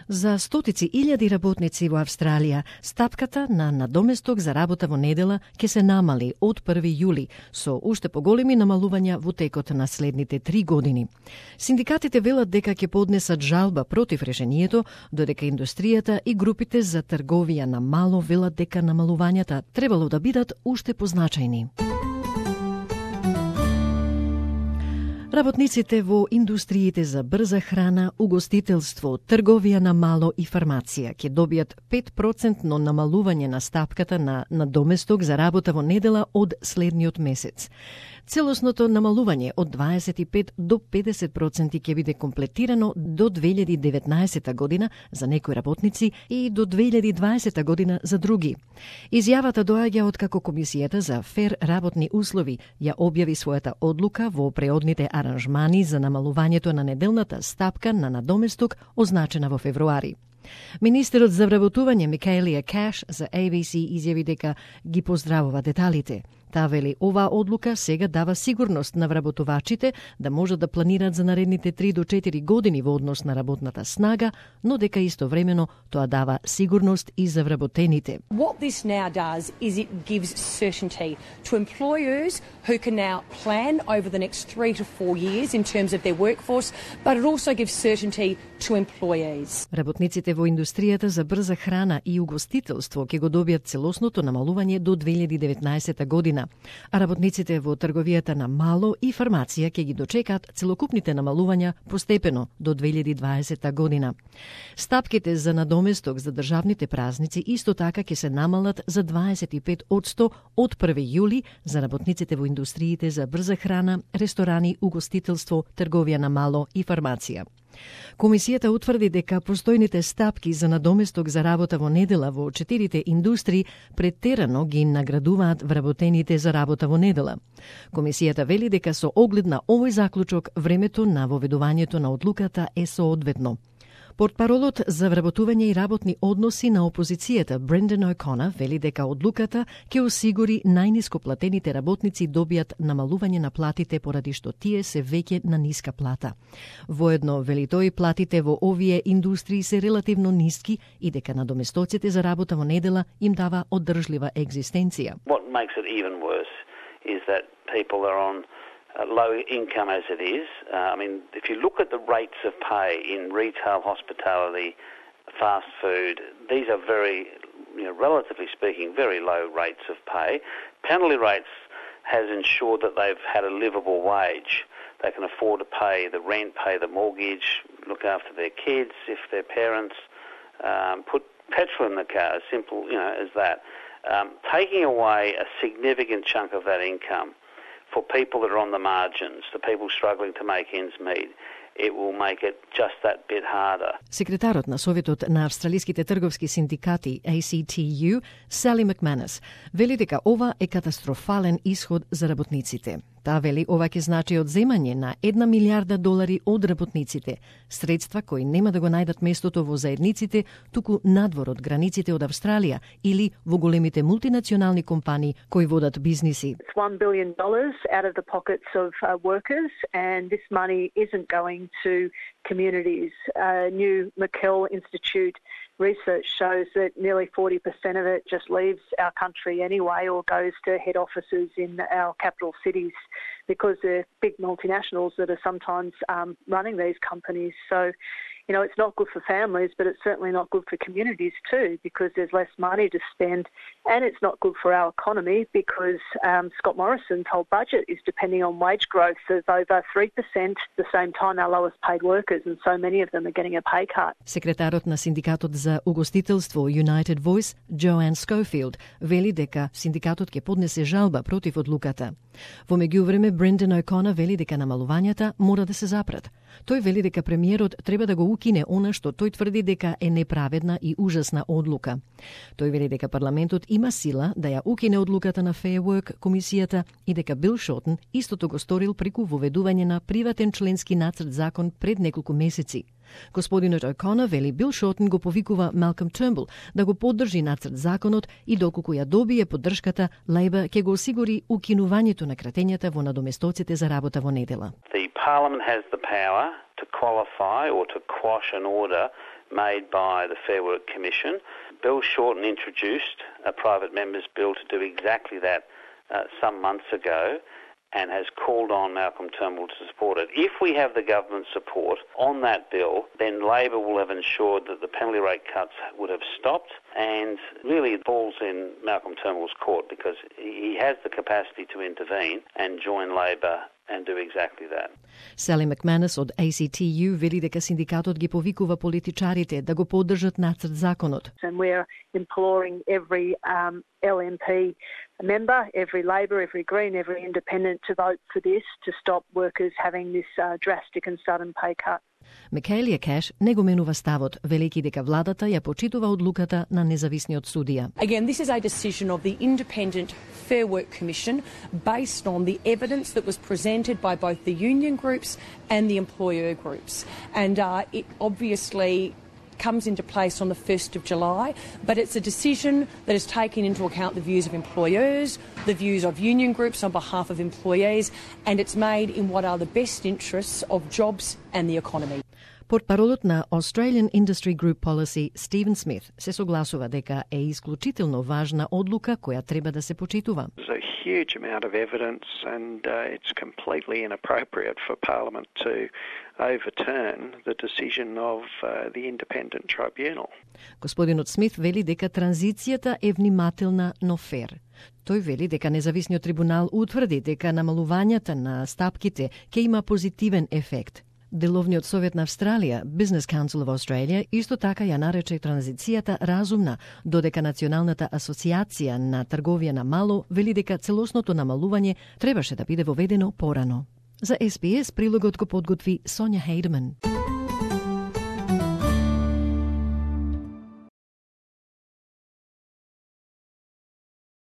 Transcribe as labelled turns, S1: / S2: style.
S1: За стотици илјади работници во Австралија, стапката на надоместок за работа во недела ќе се намали од 1 јули, со уште поголеми намалувања во текот на следните 3 години. Синдикатите велат дека ќе поднесат жалба против решението, додека индустријата и групите за трговија на мало велат дека намалувањата требало да бидат уште позначајни. Работниците во индустриите за брза храна, угостителство, трговија на мало и фармација ќе добијат 5% намалување на стапката на надоместок за работа во недела од следниот месец. Целосното намалување од 25 до 50% ќе биде комплетирано до 2019 година за некои работници и до 2020 година за други. Изјавата доаѓа од како Комисијата за фер работни услови ја објави својата одлука во преодните аранжмани за намалувањето на неделната стапка на надоместок означена во февруари. Министерот за вработување Микаелија Каш за ABC изјави дека ги поздравува деталите. Таа вели оваа одлука сега дава сигурност на вработувачите да можат да планираат за наредните 3 до 4 години во однос на работната снага, но дека истовремено тоа дава сигурност и за вработените.
S2: What this now does is it gives certainty to employers who can now plan over the next 3 to 4 years in terms of their workforce, but it also gives certainty to employees.
S1: Работниците во индустријата за брза храна и угостителство ќе го добијат целосното намалување до 2019 година, а работниците во трговијата на мало и фармација ќе ги дочекаат целокупните намалувања постепено до 2020 година. Стапките за надоместок за државните празници исто така ќе се намалат за 25% од 1 јули за работниците во индустриите за брза храна, ресторани, угостителство, трговија на мало и фармација. Комисијата утврди дека постојните стапки за надоместок за работа во недела во 4 индустрии претерано ги наградуваат вработените за работа во недела. Комисијата вели дека со оглед на овој заклучок времето на воведувањето на одлуката е соодветно. Портпаролот за вработување и работни односи на опозицијата Брендан О'Конор вели дека одлуката ќе осигури најниско платените работници добијат намалување на платите поради што тие се веќе на ниска плата. Воедно, вели тој, платите во овие индустрии се релативно ниски и дека надоместоците за работа во недела им дава одржлива екзистенција.
S3: What makes it even worse is that people are on low income as it is. If you look at the rates of pay in retail, hospitality, fast food, these are very, relatively speaking, very low rates of pay. Penalty rates has ensured that they've had a livable wage. They can afford to pay the rent, pay the mortgage, look after their kids if their parents, put petrol in the car, as simple as that. Taking away a significant chunk of that income for people that are on the margins, the people struggling to make ends meet, it will make it just that bit harder.
S1: Секретарот на Советот на австралиските трговски синдикати ACTU, Сали Макманес, вели дека ова е катастрофален исход за работниците. Таа вели ова ќе значи одземање на $1 милиарда од работниците, средства кои нема да го најдат местото во заедниците, туку надвор од границите од Австралија или во големите мултинационални компании кои водат бизниси.
S4: It's $1 billion out of the pockets of workers, and this money isn't going to communities. New McKell Institute research shows that nearly 40% of it just leaves our country anyway or goes to head offices in our capital cities because they're big multinationals that are sometimes running these companies. So, it's not good for families, but it's certainly not good for communities too because there's less money to spend, and it's not good for our economy because Scott Morrison's whole budget is depending on wage growth of over 3%, the same time our lowest paid workers, and so many of them are getting a pay cut.
S1: Секретарот на Синдикатот за угостителство United Voice, Joanne Schofield, вели дека синдикатот ќе поднесе жалба против одлуката. Во меѓувреме, Брендан О'Конор вели дека намалувањата мора да се запрат. Тој вели дека премиерот треба да го укине она што тој тврди дека е неправедна и ужасна одлука. Тој вели дека парламентот има сила да ја укине одлуката на Fair Work комисијата и дека Бил Шотен истото го сторил преку воведување на приватен членски нацрт закон пред неколку месеци. Господинот О'Конор вели Бил Шотен го повикува Малком Тurnbull да го поддржи нацрт законот и доколку ја добие поддршката, Лейбор ќе го осигури укинувањето на кратењата во надоместоците за работа во недела.
S3: The Parliament has the power to qualify or to quash an order made by the Fair Work Commission. Bill Shorten introduced a private member's bill to do exactly that some months ago, and has called on Malcolm Turnbull to support it. If we have the government support on that bill, then Labor will have ensured that the penalty rate cuts would have stopped, and really it falls in Malcolm Turnbull's court because he has the capacity to intervene and join Labor and do exactly that.
S1: Sally McManus од ACTU вели дека синдикатот ги повикува политичарите да го поддржат нацрт законот.
S4: And we're imploring every LNP member, every Labor, every Green, every Independent to vote for this to stop workers having this drastic and sudden pay cut.
S1: Микаелија Кеш не го менува ставот, велејќи дека владата ја почитува одлуката на независниот судија.
S2: Again, this is a decision of the Independent Fair Work Commission based on the evidence that was presented by both the union groups and the employer groups. And it obviously comes into place on the 1st of July, but it's a decision that has taken into account the views of employers, the views of union groups on behalf of employees, and it's made in what are the best interests of jobs and the economy.
S1: Портпаролот на Australian Industry Group Policy, Стивен Смит, се согласува дека е исклучително важна одлука која треба да се почитува.
S5: There's a huge amount of evidence and it's completely inappropriate for Parliament to overturn the decision of the Independent Tribunal.
S1: Господинот Смит вели дека транзицијата е внимателна, но фер. Тој вели дека независниот трибунал утврди дека намалувањата на стапките ќе има позитивен ефект. Деловниот совет на Австралија, Business Council of Australia, исто така ја нарече транзицијата разумна, додека Националната асоциација на трговија на мало вели дека целосното намалување требаше да биде воведено порано. За SBS прилогот го подготви Сонја Хейдман.